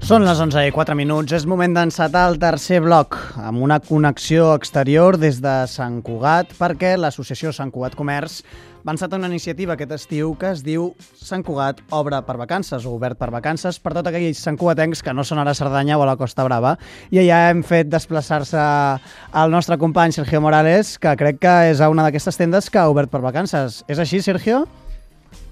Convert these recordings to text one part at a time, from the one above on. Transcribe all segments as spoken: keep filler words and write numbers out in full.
Són les onze i quatre minuts, és moment d'encetar el tercer bloc amb una connexió exterior des de Sant Cugat perquè l'associació Sant Cugat Comerç va encetar una iniciativa aquest estiu que es diu Sant Cugat obre per vacances o obert per vacances per tots aquells santcugatencs que no són ara a Cerdanya o a la Costa Brava. I allà hem fet desplaçar-se el nostre company Sergio Morales, que crec que és a una d'aquestes tendes que ha obert per vacances. És així, Sergio?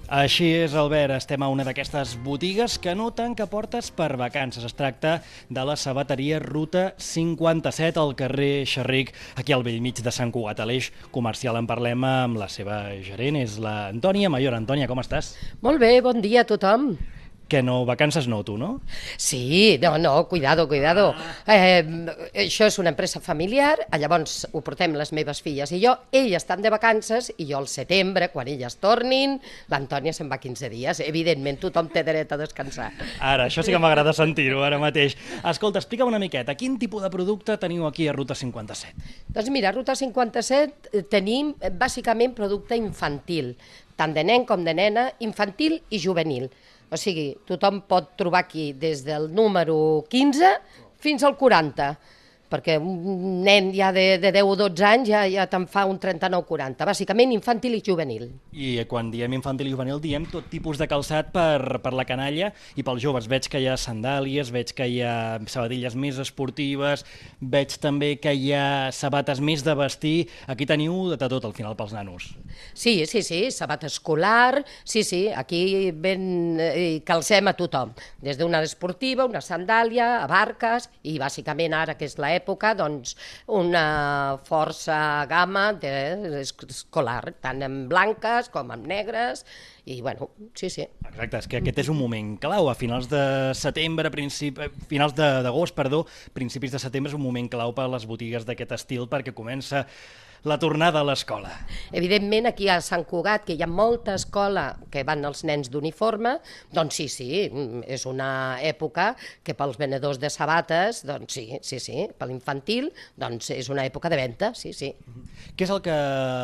Així és, Albert. Estem a una d'aquestes botigues que no tanca portes per vacances. Es tracta de la sabateria Ruta cinquanta-set al carrer Xerric, aquí al bell mig de Sant Cugat. A l'eix comercial en parlem amb la seva gerent, és la Antònia Mayor. Antònia, com estàs? Molt bé, bon dia a tothom. Que no, vacances no, tu, no? Sí, no, no, cuidado, cuidado. Eh, això és una empresa familiar, llavors ho portem les meves filles i jo, elles estan de vacances i jo al setembre, quan elles tornin, l'Antònia se'n va quinze dies. Evidentment, tothom té dret a descansar. Ara, això sí que m'agrada sentir-ho ara mateix. Escolta, explica'm una miqueta, quin tipus de producte teniu aquí a Ruta cinquanta-set? Doncs mira, a Ruta cinquanta-set tenim bàsicament producte infantil, tant de nen com de nena, infantil i juvenil. O sigui, tothom pot trobar aquí des del número quinze fins al quaranta, perquè un nen ja de, de deu o dotze anys ja, ja te'n fa un trenta-nou quaranta, bàsicament infantil i juvenil. I quan diem infantil i juvenil diem tot tipus de calçat per, per la canalla i pels joves. Veig que hi ha sandàlies, veig que hi ha sabatilles més esportives, veig també que hi ha sabates més de vestir. Aquí teniu de tot al final pels nanos. Sí, sí, sí, sabata escolar, sí, sí, aquí ben eh, calcem a tothom, des d'una esportiva, una sandàlia, a barques i bàsicament ara que és l'època època, doncs, una força gamma de, escolar, tant en blanques com en negres, i bueno, sí, sí. Exacte, és que aquest és un moment clau, a finals de setembre, principi, finals d'agost, perdó, principis de setembre és un moment clau per a les botigues d'aquest estil perquè comença la tornada a l'escola. Evidentment, aquí a Sant Cugat, que hi ha molta escola que van els nens d'uniforme, doncs sí, sí, és una època que pels venedors de sabates, doncs sí, sí, sí, per l'infantil, doncs és una època de venda, sí, sí. Què és el que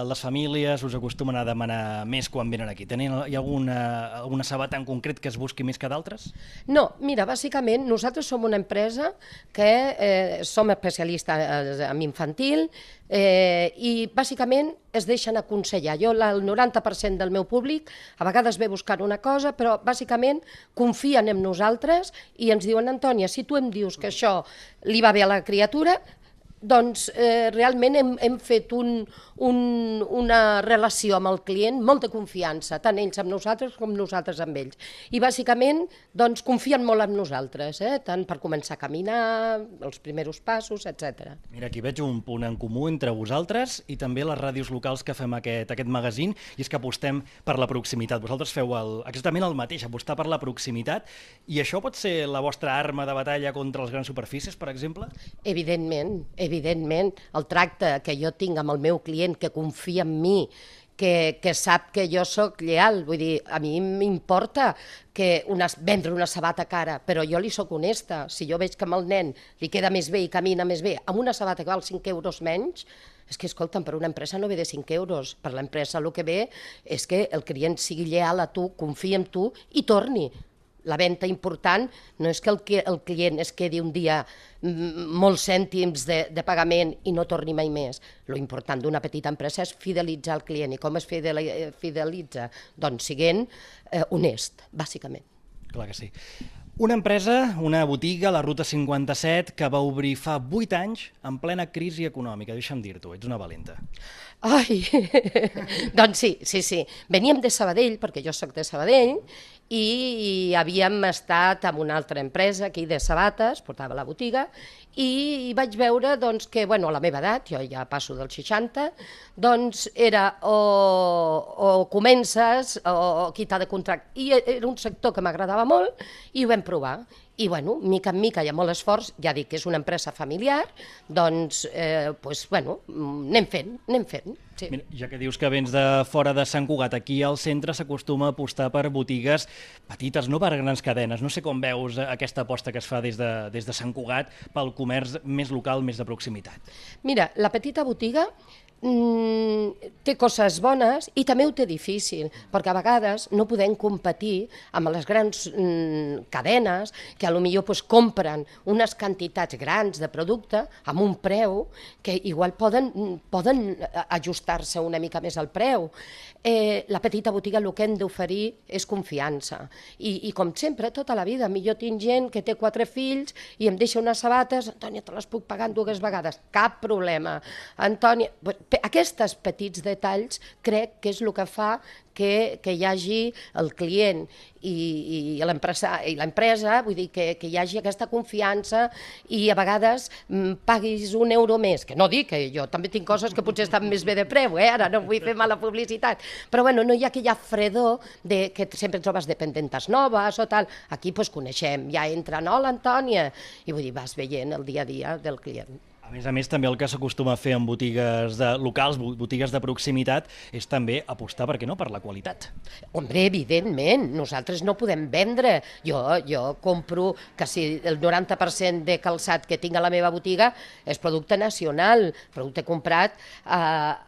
les famílies us acostumen a demanar més quan venen aquí? Tenen, hi ha alguna, alguna sabata en concret que es busqui més que d'altres? No, mira, bàsicament nosaltres som una empresa que eh, som especialistes en infantil, Eh, i bàsicament es deixen aconsellar. Jo, el noranta per cent del meu públic a vegades ve buscant una cosa, però bàsicament confien en nosaltres i ens diuen, Antònia, si tu em dius que això li va bé a la criatura, doncs eh, realment hem, hem fet un, un, una relació amb el client molt de confiança, tant ells amb nosaltres com nosaltres amb ells. I bàsicament doncs, confien molt en nosaltres, eh? Tant per començar a caminar, els primers passos, etcètera. Mira, aquí veig un punt en comú entre vosaltres i també les ràdios locals que fem aquest, aquest magazín, i és que apostem per la proximitat. Vosaltres feu el, exactament el mateix, apostar per la proximitat, i això pot ser la vostra arma de batalla contra les grans superfícies, per exemple? Evidentment, evidentment. Evidentment, el tracte que jo tinc amb el meu client, que confia en mi, que, que sap que jo sóc lleal, vull dir, a mi m'importa que una, vendre una sabata cara, però jo li sóc honesta. Si jo veig que amb el nen li queda més bé i camina més bé, amb una sabata que val cinc euros menys, és que, escolta'm, per una empresa no ve de cinc euros, per l'empresa el que ve és que el client sigui lleal a tu, confia en tu i torni. La venda important no és que el, el client es quedi un dia molts cèntims de, de pagament i no torni mai més. Lo important d'una petita empresa és fidelitzar el client. I com es fidelitza? Doncs siguent eh, honest, bàsicament. Clar que sí. Una empresa, una botiga, la Ruta cinquanta-set, que va obrir fa vuit anys en plena crisi econòmica. Deixa'm dir-t'ho, ets una valenta. Ai, doncs sí, sí, sí. Veníem de Sabadell, perquè jo sóc de Sabadell, i havíem estat amb una altra empresa aquí de sabates, portava la botiga, i vaig veure doncs, que bueno, a la meva edat, jo ja passo dels seixanta, doncs era o, o comences o qui t'ha de contractar. I era un sector que m'agradava molt i ho vam provar. I, bueno, mica en mica hi ha molt esforç, ja dic que és una empresa familiar, doncs, eh, pues, bueno, anem fent, anem fent. Sí. Mira, ja que dius que vens de fora de Sant Cugat, aquí al centre s'acostuma a apostar per botigues petites, no per grans cadenes. No sé com veus aquesta aposta que es fa des de, des de Sant Cugat pel comerç més local, més de proximitat. Mira, la petita botiga mm, té coses bones i també ho té difícil, perquè a vegades no podem competir amb les grans mm, cadenes que a lo millor pues, compren unes quantitats grans de producte amb un preu que igual poden, poden ajustar-se una mica més al preu. Eh, la petita botiga el que hem d'oferir és confiança. I, I com sempre, tota la vida, millor tinc gent que té quatre fills i em deixa unes sabates, Antònia, te les puc pagar en dues vegades, cap problema. Antònia, aquests petits detalls crec que és el que fa que, que hi hagi el client i, i l'empresa, vull dir que, que hi hagi aquesta confiança i a vegades m, paguis un euro més, que no dic que jo també tinc coses que potser estan més bé de preu, eh? Ara no vull fer mala publicitat, però bueno, no hi ha aquella fredor de, que sempre trobes dependentes noves o tal, aquí pues, coneixem, ja entra, no, l'Antònia, i vull dir, vas veient el dia a dia del client. A més a més, també el que s'acostuma a fer en botigues de, locals, botigues de proximitat, és també apostar, per què no, per la qualitat. Hombre, evidentment, nosaltres no podem vendre. Jo, jo compro quasi el noranta per cent de calçat que tinc a la meva botiga és producte nacional, producte comprat a,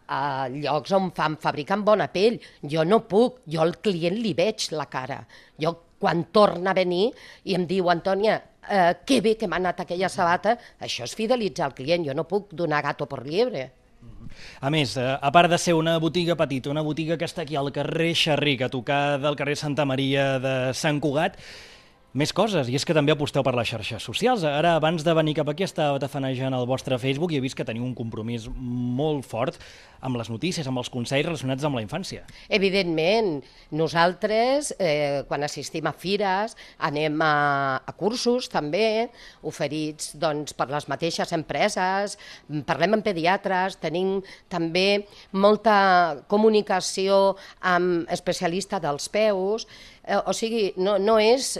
a llocs on fan, fabriquen bona pell. Jo no puc, jo al client li veig la cara. Jo quan torna a venir i em diu, Antònia, Eh, que bé que m'ha anat aquella sabata, això és fidelitzar el client, jo no puc donar gato per liebre. A més, a part de ser una botiga petita, una botiga que està aquí al carrer Xerric, a tocar del carrer Santa Maria de Sant Cugat, més coses, i és que també aposteu per les xarxes socials. Ara, abans de venir cap aquí, estava tafanejant el vostre Facebook i he vist que teniu un compromís molt fort amb les notícies, amb els consells relacionats amb la infància. Evidentment, nosaltres, eh, quan assistim a fires, anem a, a cursos també, oferits doncs, per les mateixes empreses, parlem amb pediatres, tenim també molta comunicació amb especialista dels peus, eh, o sigui, no, no és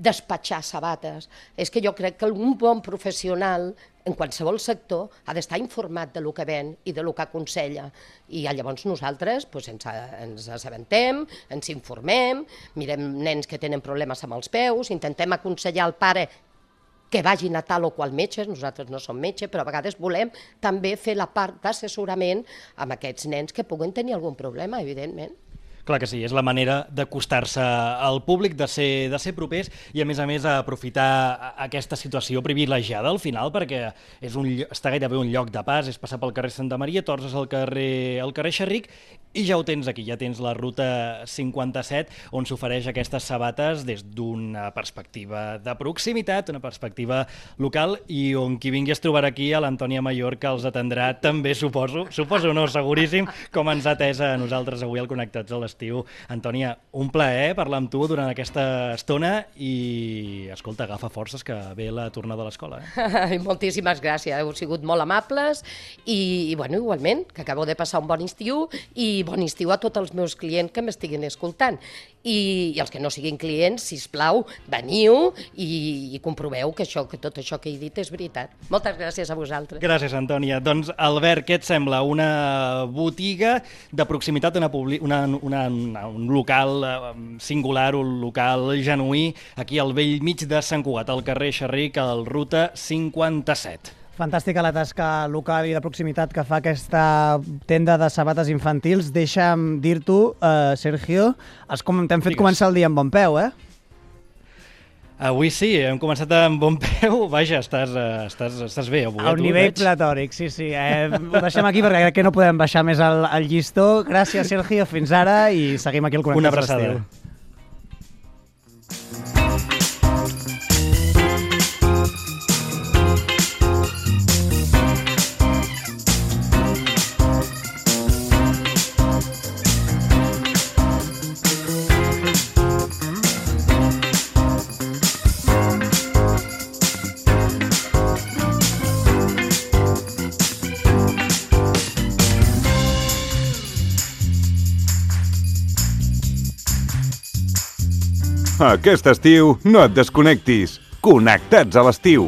despatxar sabates, és que jo crec que un bon professional en qualsevol sector ha d'estar informat de lo que ven i de lo que aconsella. I llavors nosaltres doncs, ens, ens assabentem, ens informem, mirem nens que tenen problemes amb els peus, intentem aconsellar al pare que vagin a tal o qual metge, nosaltres no som metge, però a vegades volem també fer la part d'assessorament amb aquests nens que puguen tenir algun problema, evidentment. Clar que sí, és la manera d'acostar-se al públic, de ser, de ser propers i, a més a més, aprofitar aquesta situació privilegiada al final, perquè és un, està gairebé un lloc de pas, és passar pel carrer Santa Maria, tornes al carrer, al carrer Xerric i ja ho tens aquí, ja tens la ruta cinquanta-set, on s'ofereix aquestes sabates des d'una perspectiva de proximitat, una perspectiva local, i on qui vingui es trobarà aquí a l'Antònia Mayor, que els atendrà també, suposo, suposo no, seguríssim, com ens ha atès a nosaltres avui al Connectats a l'Estiu. Antònia, un plaer parlar amb tu durant aquesta estona i, escolta, agafa forces que ve la tornada a l'escola. Eh? Moltíssimes gràcies, heu sigut molt amables i, i bueno, igualment, que acabeu de passar un bon estiu i bon estiu a tots els meus clients que m'estiguin escoltant. I, i els que no siguin clients, sisplau, veniu i, i comproveu que, això, que tot això que he dit és veritat. Moltes gràcies a vosaltres. Gràcies, Antònia. Doncs, Albert, què et sembla? Una botiga de proximitat, una, una, una, una, un local singular, un local genuí, aquí al vell mig de Sant Cugat, al carrer Xerric, al ruta cinquanta-set. Fantàstica la tasca local i de proximitat que fa aquesta tenda de sabates infantils. Deixa'm dir-t'ho, uh, Sergio, has com t'hem fet Digues. Començar el dia amb bon peu, eh? Avui sí, hem començat amb bon peu. Vaja, estàs, estàs, estàs bé avui. A un nivell platòric, sí, sí. Eh, ho deixem aquí perquè crec que no podem baixar més el, el llistó. Gràcies, Sergio, fins ara i seguim aquí al Connectats a l'Estiu. Una abraçada. Aquest estiu no et desconnectis. Connectats a l'estiu.